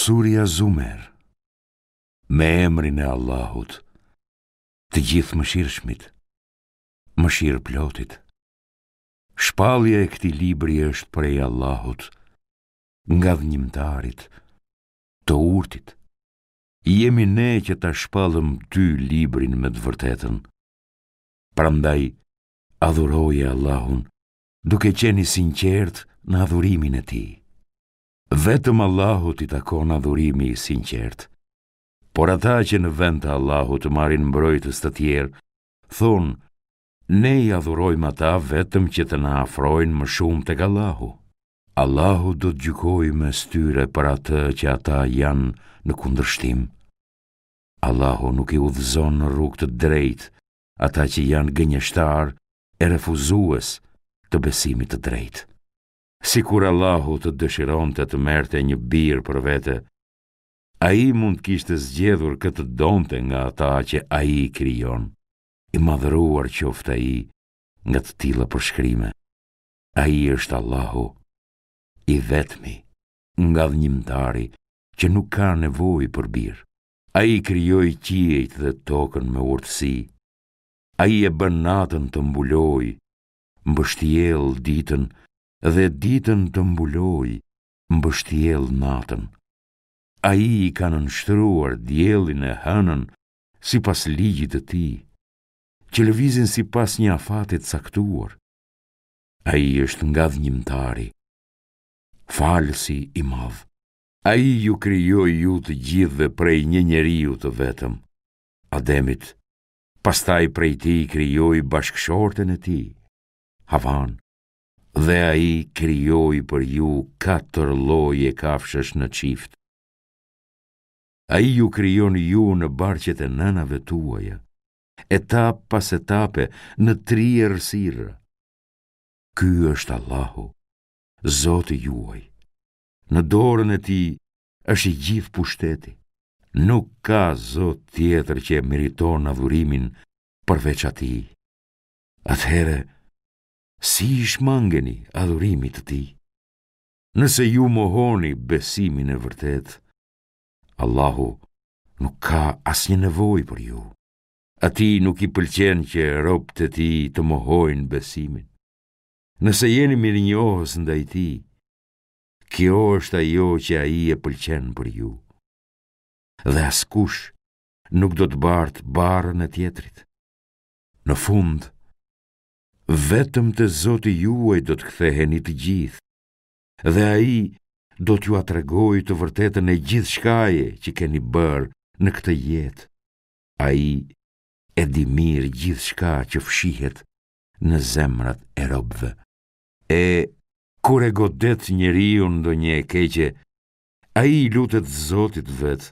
Surja Zumer Me emrin e Allahut, të Gjithëmëshirshmit, mëshirëplotit. Shpallja e këtij libri është prej Allahut, ngadhënjimtarit, të urtit. Jemi ne që ta shpallëm ty librin me të vërtetën. Prandaj, adhuroje Allahun, duke qenë i sinqertë në adhurimin e tij. Vetëm Allahut i takon adhurimi i sinqertë. Por ata që në vend të Allahut marrin mbrojtës të tjerë, thonë, ne i adhurojmë ata vetëm që të na afrojnë më shumë tek Allahu. Allahu do të gjykojë mes tyre për atë që ata janë në kundërshtim. Allahu nuk i udhëzon në rrugë të drejtë ata që janë gënjeshtarë e refuzues të besimit të drejtë. Sikur Allahu të dëshironte të merrte një bir për vete, Ai mund të kishte zgjedhur kë të donte nga ata që Ai krijon. I madhëruar qoftë Ai nga të tilla përshkrime. Ai është Allahu, i vetmi, ngadhënjimtari, që nuk ka nevojë për bir. Ai krijoi qiejt dhe tokën me urtësi. Ai e bën natën të mbulojë, mbështjellë ditën dhe ditën të mbulojë, mbështjellë natën. Ai i ka nënshtruar diellin e hënën sipas ligjit të tij, që lëvizin sipas një afati të caktuar. Ai është ngadhënjimtari, falësi i madh. Ai ju krijoi ju të gjithëve prej një njeriu të vetëm, Ademit, pastaj prej tij krijoi bashkëshorten e tij, Havanë, dhe ai krijoi për ju katër lloje kafshësh në çift. Ai ju krijon ju në barqet e nënave tuaja, etapë pas etape në tri errësira. Ky është Allahu, Zoti juaj. Në dorën e tij është i gjithë pushteti. Nuk ka zot tjetër që e meriton adhurimin përveç atij. Atëherë, si i shmangeni adhurimit të tij? Nëse ju mohoni besimin e vërtetë, Allahu nuk ka asnjë nevojë për ju. Atij nuk i pëlqen që robët e tij të mohojnë besimin. Nëse jeni mirënjohës ndaj tij, Kjo është ajo që ai e pëlqen për ju. Dhe askush nuk do të bartë barrën e tjetrit. Në fund, vetëm te Zoti juaj do të ktheheni të gjithë, dhe ai do t'jua tregojë të vërtetën e gjithçkaje që keni bërë në këtë jetë. Ai e di mirë gjithçka që fshihet në zemrat e robëve. E kur e godet njeriun ndonjë e keqe, ai i lutet Zotit të vet,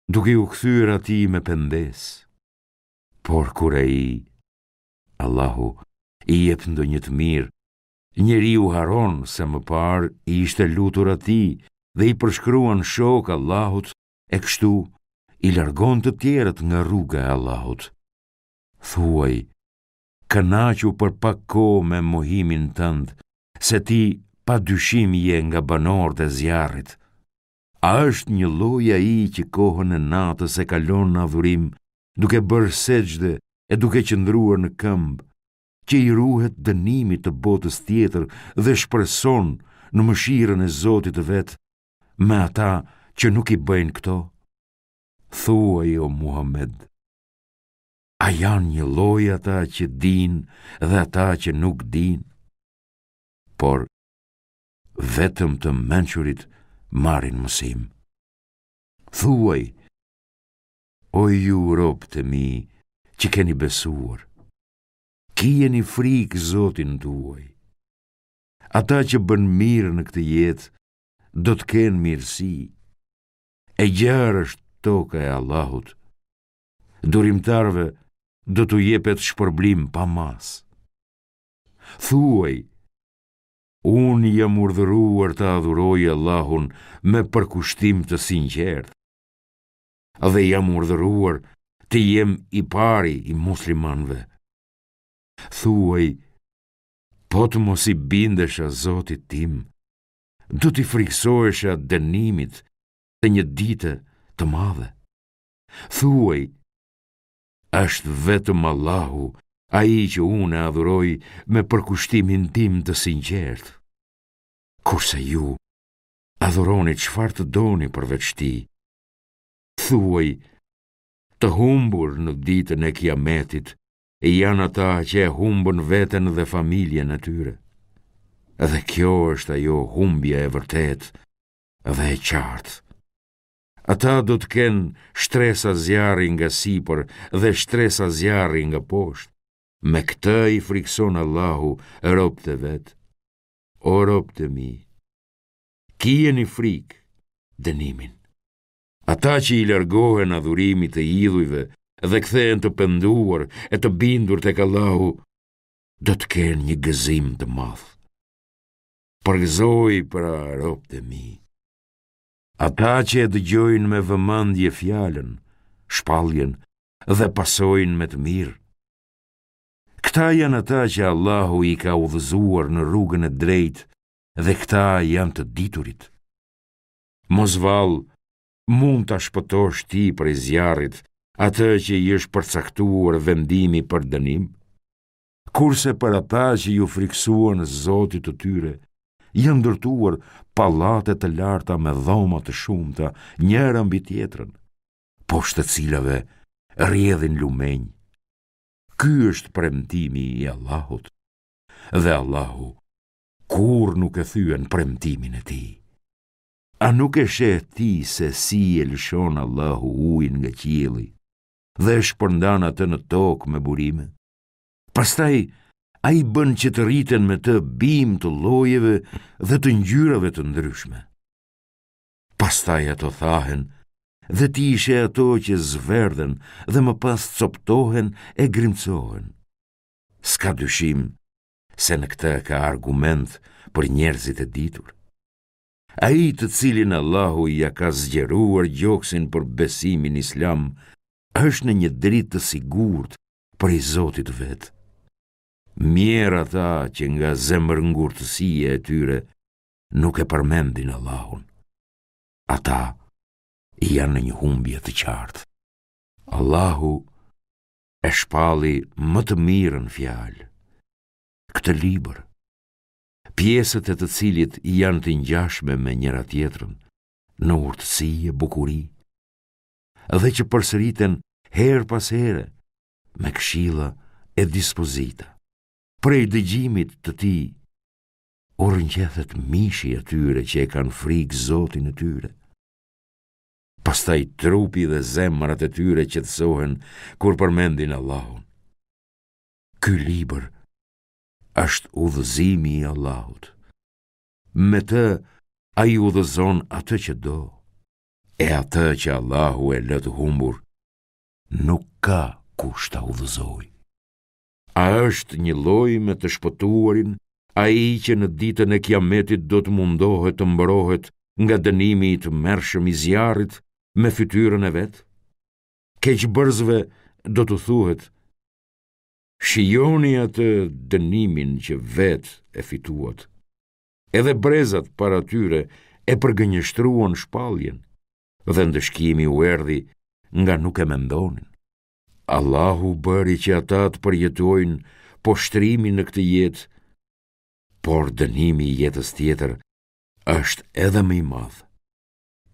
duke iu kthyer atij me pendesë. Por kur ai, Allahu, i jep ndonjë të mirë, njeriu harron se më parë i ishte lutur atij dhe i përshkruan shokë Allahut e kështu i largon të tjerët nga rruga e Allahut. Thuaj, Kënaqu për pak kohë me mohimin tënd, se ti pa dyshim je nga banorët e zjarrit. A është njëlloj ai që kohën e natës e kalon në adhurim, duke bërë sexhde e duke qëndruar në këmbë, që i ruhet dënimit të botës tjetër dhe shpreson në mëshirën e Zotit të vet, me ata që nuk i bëjnë këto? Thuaj o Muhammed, A janë njëlloj ata që dinë dhe ata që nuk dinë? Por, vetëm të mençurit marrin mësim. Thuaj, o ju robët e mi që keni besuar, kijeni frikë Zotin tuaj. Ata që bënë mirë në këtë jetë, do të kenë mirësi. E gjerë është toka e Allahut, Durimtarëve do t'u jepet shpërblim pa masë. Thuaj, unë jam urdhëruar të adhuroj Allahun me përkushtim të sinqertë dhe jam urdhëruar të jem i pari i muslimanëve. Thuaj, po të mos i bindesha Zotit tim, do t'i frikësohesha dënimit. të një dite të madhe. Thuaj, është vetëm Allahu, ai që unë e adhuroj me përkushtimin tim të sinqertë. Kurse ju, adhuroni çfarë të doni përveç tij. Thuaj, të humbur në ditën e kiametit, janë ata që e humbën veten dhe familjen e tyre. Dhe kjo është ajo humbja e vërtetë dhe e qartë. Ata do të kenë shtresa zjarri nga sipër dhe shtresa zjarri nga poshtë. Me këtë i frikëson Allahu robët e vet. O robët e mi, kijeni frikë dënimin. Ata që i largohen adhurimit të idhujve dhe kthehen të penduar e të bindur tek Allahu, do të kenë një gëzim të madh. Përgëzoji pra robët e mi. Ata që e dëgjojnë me vëmendje fjalën, shpalljen dhe pasojnë me të mirë. Këta janë ata që Allahu i ka udhëzuar në rrugën e drejtë dhe këta janë të diturit. Mos vallë, mund ta shpëtosh ti prej zjarrit atë që i është përcaktuar vendimi për dënim? Kurse për ata që iu frikësuan Zotit të tyre, janë ndërtuar pallate të larta me dhoma të shumta, njëra mbi tjetrën, poshtë të cilave rrjedhin lumenj. Ky është premtimi i Allahut, dhe Allahu kurrë nuk e thyen premtimin e tij. A nuk e sheh ti se si e lëshon Allahu ujin nga qielli dhe e shpërndan atë në tokë me burime? Pastaj ai bën që të rriten me të bimë të llojeve dhe të ngjyrave të ndryshme. Pastaj ato thahen dhe ti i sheh ato që zverdhen dhe më pas coptohen e grimcohen. S'ka dyshim se në këtë ka argument për njerëzit e ditur. Ai të cilin Allahu ia ka zgjeruar gjoksin për besimin islam, është në një dritë të sigurt prej Zotit të vet. Mjerë ata që nga zemërngurtësia e tyre nuk e përmendin Allahun. Ata janë në një humbje të qartë. Allahu e shpalli më të mirën fjalë, këtë libër, pjesët e të cilit janë të ngjashme me njëra-tjetrën, në urtësi e bukuri, dhe që përsëriten herë pas here me këshilla e dispozita. Prej dëgjimit të tij, u rrënqethet mishi atyre që e kanë frikë Zotin e tyre. Pastaj trupi dhe zemrat e tyre qetësohen kur përmendin Allahun. Ky libër është udhëzimi i Allahut. Me të ai udhëzon atë që do, e atë që Allahu e lë të humbur, nuk ka kush ta udhëzojë. A është njëlloj me të shpëtuarin, ai që në ditën e kiametit do të mundohet të mbrohet nga dënimi i tmerrshëm i zjarrit me fytyrën e vet? Keqbërësve do t'u thuhet, shijoni atë dënimin që vetë e fituat. Edhe brezat para tyre e përgënjeshtruan shpalljen, dhe ndëshkimi u erdhi nga nuk e mendonin. Allahu bëri që ata të përjetojnë poshtërimin në këtë jetë, por dënimi i jetës tjetër është edhe më i madh.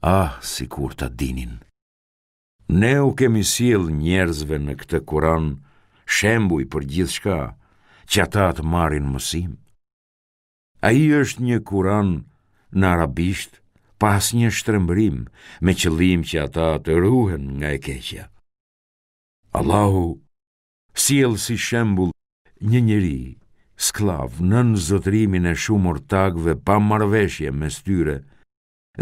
Ah, sikur ta dinin. Ne u kemi sjellë njerëzve në këtë Kuran shembuj për gjithçka që ata të marrin mësim. Ai është një Kuran në arabisht pa asnjë shtrembërim, me qëllim që ata të ruhen nga e keqja. Allahu sjell si shembull një njeri, skllav, nën zotërimin e shumë ortakëve pa marrëveshje mes tyre,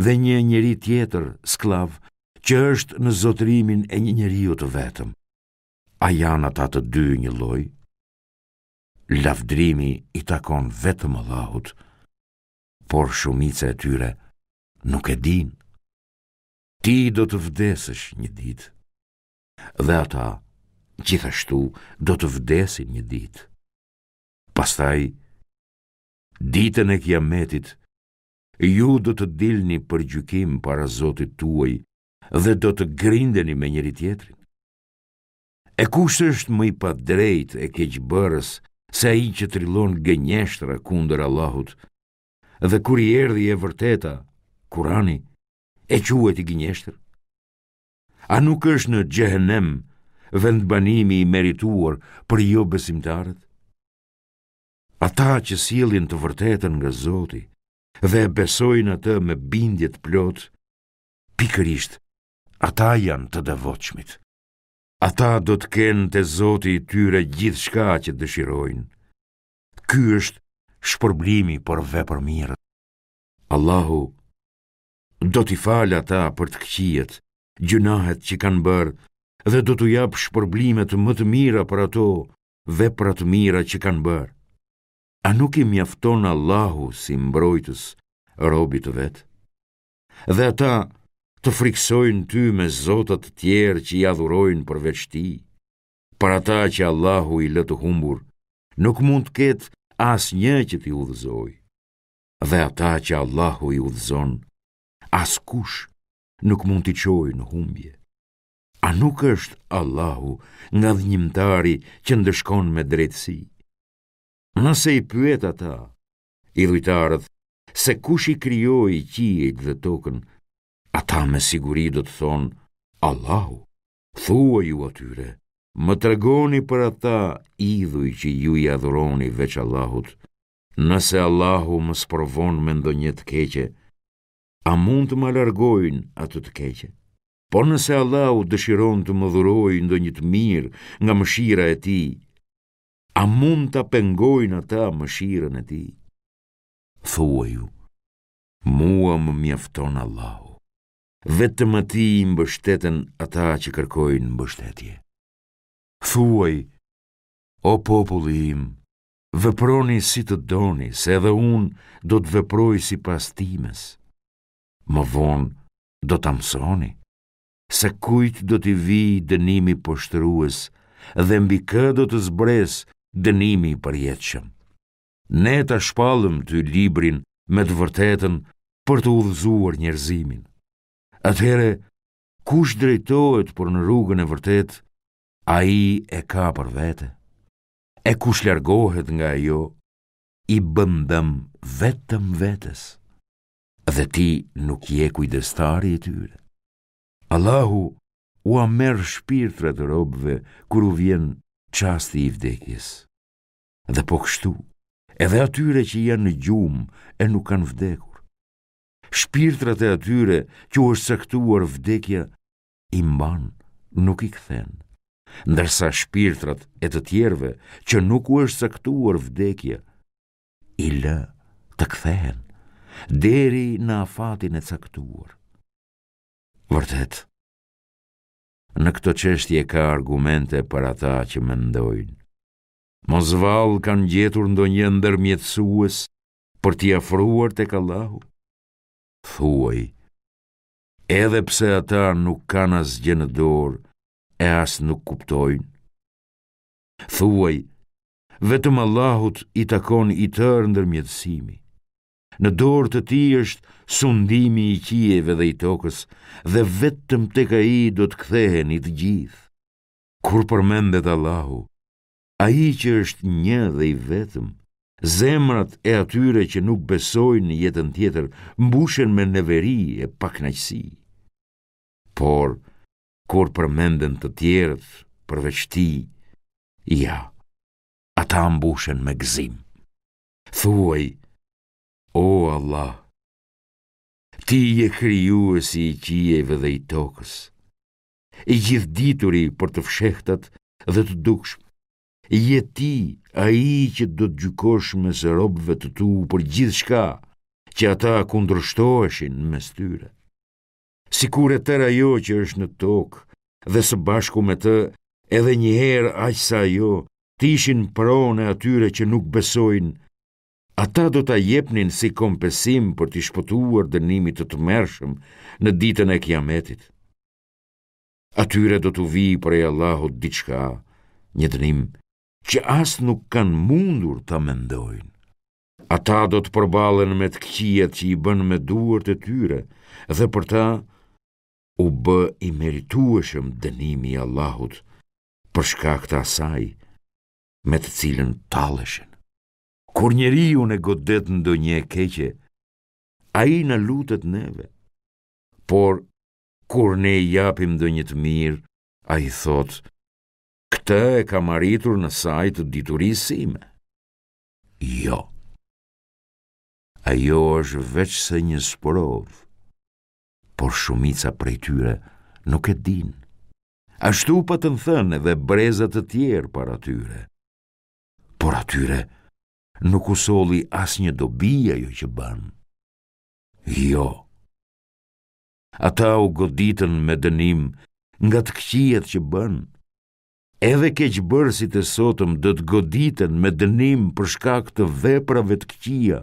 dhe një njeri tjetër, skllav, që është në zotërimin e një njeriu të vetëm. A janë ata të dy njëlloj? Lavdërimi i takon vetëm Allahut, por shumica e tyre nuk e dinë. Ti do të vdesësh një ditë, dhe ata gjithashtu do të vdesin një ditë. Pastaj, ditën e kiametit, Ju do të dilni për gjykim para Zotit tuaj dhe do të grindeni me njëri-tjetrin. E kush është më i padrejtë e keqbërës se ai që trillon gënjeshtra kundër Allahut dhe kur i erdhi e vërteta, Kurani, e quajti gënjeshtër? A nuk është në xhehenem vendbanimi i merituar për jobesimtarët? Ata që sjellin të vërtetën nga Zoti dhe e besojnë atë me bindje të plotë, pikërisht ata janë të devotshmit. Ata do të kenë te Zoti i tyre gjithçka që dëshirojnë. Ky është shpërblimi për vepërmirët. Allahu do t'i falë ata për të këqijat, gjynahet që kanë bërë dhe do t'u japë shpërblimet më të mira për ato vepra të mira që kanë bërë. A nuk i mjafton Allahu si mbrojtës robit të vet? Dhe ata të frikësojnë ty me zota të tjerë që i adhurojnë përveç tij. Për ata që Allahu i lë të humbur, nuk mund të ketë asnjë që t'i udhëzojë. Dhe ata që Allahu i udhëzon, askush nuk mund t'i çojë në humbje. A nuk është Allahu ngadhënjimtari që ndëshkon me drejtësi? Nëse i pyet ata, idhujtarët, se kush i krijoi qiejt dhe tokën, ata me siguri do të thonë Allahu. Thuaju atyre, më tregoni për ata idhuj që ju i adhuroni veç Allahut. Nëse Allahu më sprovon me ndonjë të keqe, a mund të ma largojnë atë të keqe? Po nëse Allahu dëshiron të më dhurojë ndonjë të mirë nga mëshira e tij, a mund ta pengojnë ata mëshirën e tij? Thuaju, mua më mjafton Allahu. Vetëm atij i mbështeten ata që kërkojnë mbështetje. Thuaj, o populli im, Veproni si të doni, se edhe unë do të veproj sipas times. Më vonë do ta mësoni, se kujt do t'i vijë dënimi poshtërues dhe mbi kë do të zbresë dënimi i përjetshëm. Ne ta shpallëm ty librin me të vërtetën për të udhëzuar njerëzimin. Atëherë, kush drejtohet për në rrugën e vërtetë, ai e ka për vete. E kush largohet nga ajo, i bën dëm vetëm vetes, dhe ti nuk je kujdestari i tyre. Allahu ua merr shpirtrat robëve kur u vjen çasti i vdekjes. Dhe po kështu, edhe atyre që janë në gjumë e nuk kanë vdekur. Shpirtrat e atyre që u është caktuar vdekja i mban, nuk i kthen. Ndërsa shpirtrat e të tjerëve që nuk u është caktuar vdekja, i lë të kthehen deri në afatin e caktuar. Vërtet, në këto çështje ka argumente për ata që mendojnë. Mos vallë kanë gjetur ndonjë ndërmjetësues për t'i afruar tek Allahu? Thuaj, Edhe pse ata nuk kanë asgjë në dorë e as nuk kuptojnë. Thuaj, vetëm Allahut i takon i tërë ndërmjetësimi. Në dorë të tij është sundimi i qiejve dhe i tokës dhe vetëm tek ai do të ktheheni të gjithë. Kur përmendet Allahu, Ai që është një dhe i vetëm, zemrat e atyre që nuk besojnë në jetën tjetër mbushen me neveri e pakënaqësi. Por, kur përmenden të tjerët përveç tij, ja, ata mbushen me gëzim. Thuaj, o Allah, ti je krijuesi i qiejve dhe i tokës, i gjithëdituri për të fshehtat dhe të dukshmet. Je ti ai që do të gjykosh mes robëve të tu për gjithçka që ata kundërshtoheshin mes tyre. Sikur e tërë ajo që është në tokë dhe së bashku me të edhe një herë aq sa ajo të ishin pronë e atyre që nuk besojnë, ata do ta jepnin si kompensim për t'i shpëtuar dënimit të tmerrshëm në ditën e Kiametit. Atyre do t'u vijë prej Allahut diçka, një dënim, që as nuk kanë mundur ta mendojnë. Ata do të përballen me të këqijat që i bënë me duart e tyre dhe për ta u bë i meritueshëm dënimi i Allahut për shkak të asaj me të cilën talleshin. Kur njeriun e godet ndonjë e keqe, ai na lutet neve. Por kur ne i japim ndonjë të mirë, ai thotë, këtë e kam arritur në sajë të diturisë sime. Jo. Ajo është veçse një sprovë, por shumica prej tyre nuk e dinë. Ashtu patën thënë edhe breza të tjerë para tyre. Por atyre nuk u solli asnjë dobi ajo që bënë. Jo. Ata u goditën me dënim nga të këqijat që bënë. Edhe keqbërësit e sotëm do të goditen me dënim për shkak të veprave të këqija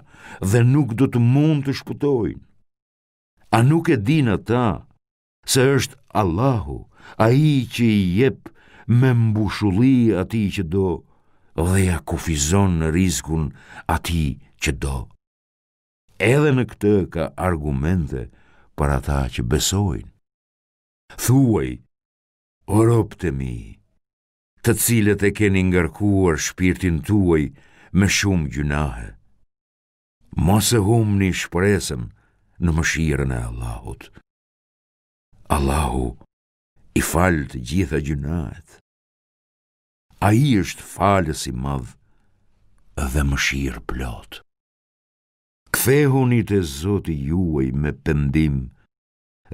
dhe nuk do të mund të shpëtojnë. A nuk e dinë ata se është Allahu, ai që i jep me mbushulli atij që do dhe ia kufizon rizkun atij që do. Edhe në këtë ka argumente për ata që besojnë. Thuaj, o robët e mi, të cilët e keni ngarkuar shpirtin tuaj me shumë gjynahe, mos e humbni shpresën në mëshirën e Allahut. Allahu i fal të gjitha gjynahet. Ai është falës i madh dhe mëshirëplotë. Kthehuni te Zoti juaj me pendim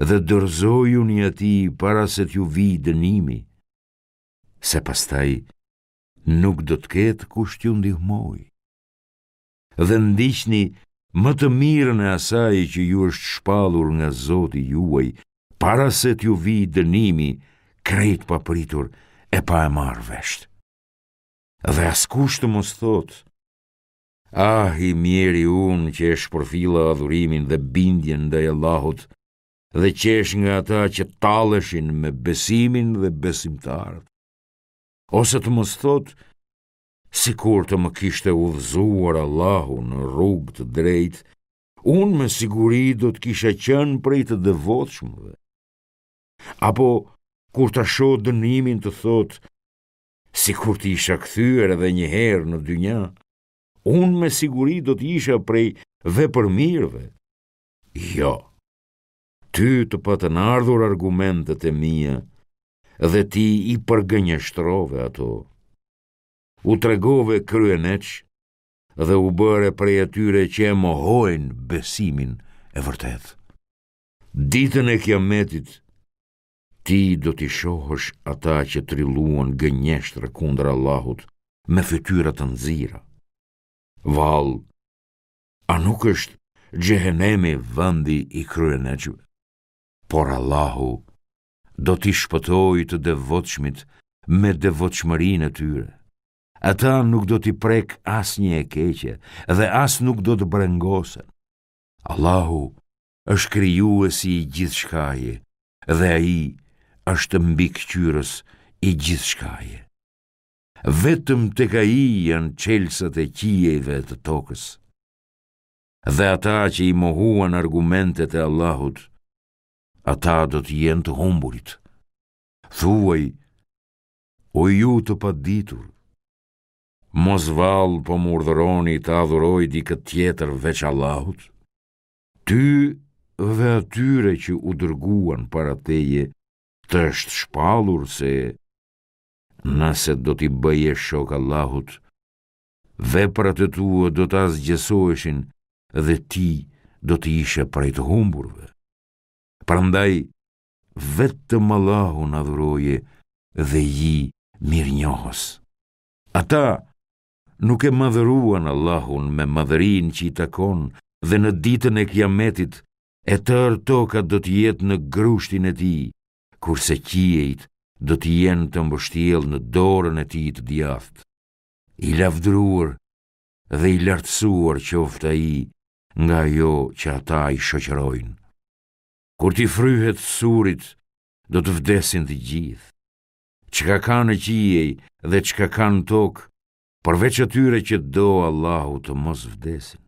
dhe dorëzojuni atij para se t'ju vijë dënimi, se pastaj nuk do të ketë kush t'ju ndihmojë. Dhe ndiqni më të mirën e asaj që ju është shpallur nga Zoti juaj, para se t'ju vijë dënimi krejt papritur e pa e marrë vesh. Dhe askush të mos thotë, Ah, i mjeri unë që e shpërfilla adhurimin dhe bindjen ndaj Allahut dhe qeshë nga ata që talleshin me besimin dhe besimtarët. Ose të mos thotë, sikur të më kishte udhëzuar Allahu në rrugë të drejtë, unë me siguri do të kisha qenë prej të devotshmëve. Apo, kur ta shohë dënimin të thotë, Sikur të isha kthyer edhe një herë në dynja, unë me siguri do të isha prej vepërmirëve. Jo, ty të patën ardhur argumentet e mia dhe ti i përgënjeshtrove ato. U tregove kryeneç dhe u bëre prej atyre që e mohojnë besimin e vërtetë. Ditën e kiametit, Ti do t'i shohësh ata që trilluan gënjeshtra kundër Allahut me fytyra të nxira. Vallë, a nuk është xhehenemi vendi i kryeneçëve? Por Allahu do t'i shpëtojë të devotshmit me devotshmërinë e tyre. Ata nuk do t'i prekë asnjë e keqe dhe as nuk do të brengosen. Allahu është krijuesi i gjithçkaje dhe ai është mbikëqyrës i gjithçkaje. Vetëm tek ai janë çelësat e qiejve e të tokës. Dhe ata që i mohuan argumentet e Allahut, ata do të jenë të humburit. Thuaj, o ju të paditur, mos vallë po më urdhëroni të adhuroj dikë tjetër veç Allahut? Ty dhe atyre që u dërguan para teje të është shpallur se nëse do t'i bëje shok Allahut, veprat e tua do të asgjësoheshin dhe ti do të ishe prej të humburve. Prandaj, vetëm Allahun adhuroje dhe ji mirënjohës. Ata nuk e madhëruan Allahun me madhërinë që i takon dhe në ditën e Kiametit e tërë toka do të jetë në grushtin e tij, kurse qiejt do të jenë të mbështjellë në dorën e tij të djathtë. I lavdëruar dhe i lartësuar qoftë ai nga ajo që ata i shoqërojnë. Kur t'i fryhet surit, do të vdesin të gjithë. Çka ka në qiej dhe çka ka në tokë, përveç atyre që do Allahu të mos vdesin.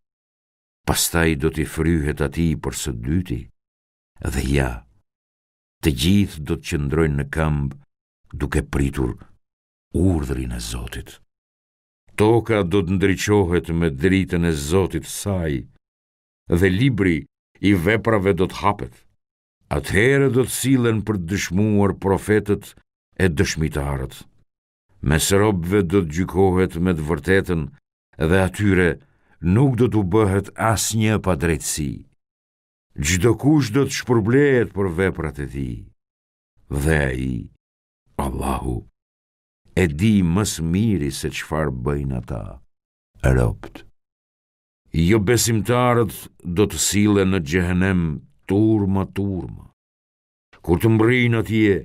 Pastaj do t'i fryhet atij për së dyti, dhe ja, të gjithë do të qëndrojnë në këmbë duke pritur urdhrin e Zotit. Toka do të ndriçohet me dritën e Zotit të saj dhe libri i veprave do të hapet. Atëherë do të sillen për të dëshmuar profetët e dëshmitarët. Mes robëve do të gjykohet me të vërtetën dhe atyre nuk do t'u bëhet asnjë padrejtësi. Çdokush do të shpërblehet për veprat e tij. Dhe ai, Allahu, e di më së miri se çfarë bëjnë ata, robët. Jobesimtarët do të sillen në xhehenem turma turma. Kur të mbërrijnë atje,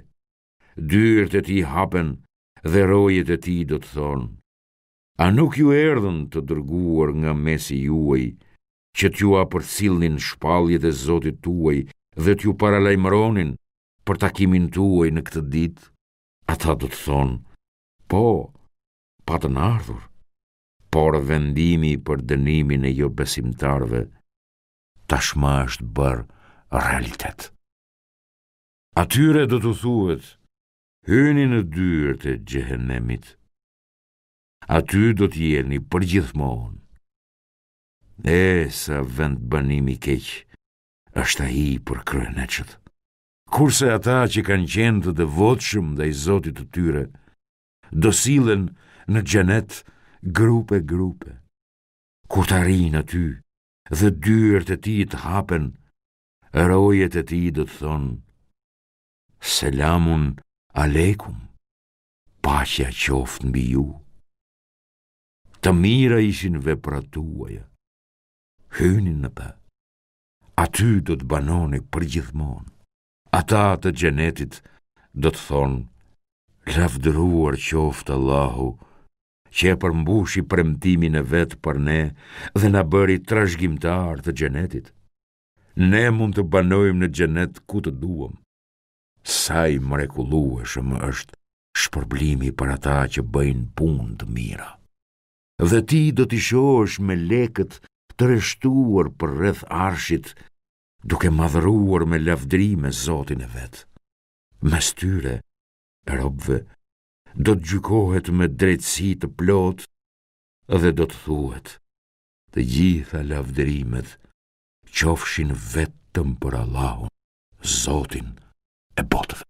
dyert e tij hapen dhe rojet e tij do të thonë: A nuk ju erdhën të dërguar nga mesi juaj që t'jua përcillnin shpalljet e Zotit tuaj dhe t'ju paralajmëronin për takimin tuaj në këtë ditë? Ata do të thonë, po, patën ardhur, por vendimi për dënimin e jobesimtarëve tashmë është bërë realitet. Atyre do t'u thuhet, hyni në dyert e xhehenemit. Aty do të jeni përgjithmonë. E sa vendbanim i keq është ai për kryeneçët. Kurse ata që kanë qenë të devotshëm ndaj Zotit të tyre, do sillen në xhenet grupe grupe. Kur të arrijnë aty dhe dyert e tij të hapen, rojet e tij do të thonë, Selamun alejkum, paqja qoftë mbi ju. Të mira ishin veprat tuaja, hyni në të. Aty do të banoni përgjithmonë. Ata të xhenetit do të thonë, lavdëruar qoftë Allahu, që e përmbushi premtimin e vet për ne dhe na bëri trashëgimtarë të xhenetit. Ne mund të banojmë në xhenet ku të duam. Sa i mrekullueshëm është shpërblimi për ata që bëjnë punë të mira. Dhe ti do t'i shohësh melekët të rreshtuar përreth arshit, duke madhëruar me lavdërime Zotin e vet. Mes tyre, robëve, do të gjykohet me drejtësi të plotë dhe do të thuhet, të gjitha lavdërimet qofshin vetëm për Allahun, Zotin e botëve.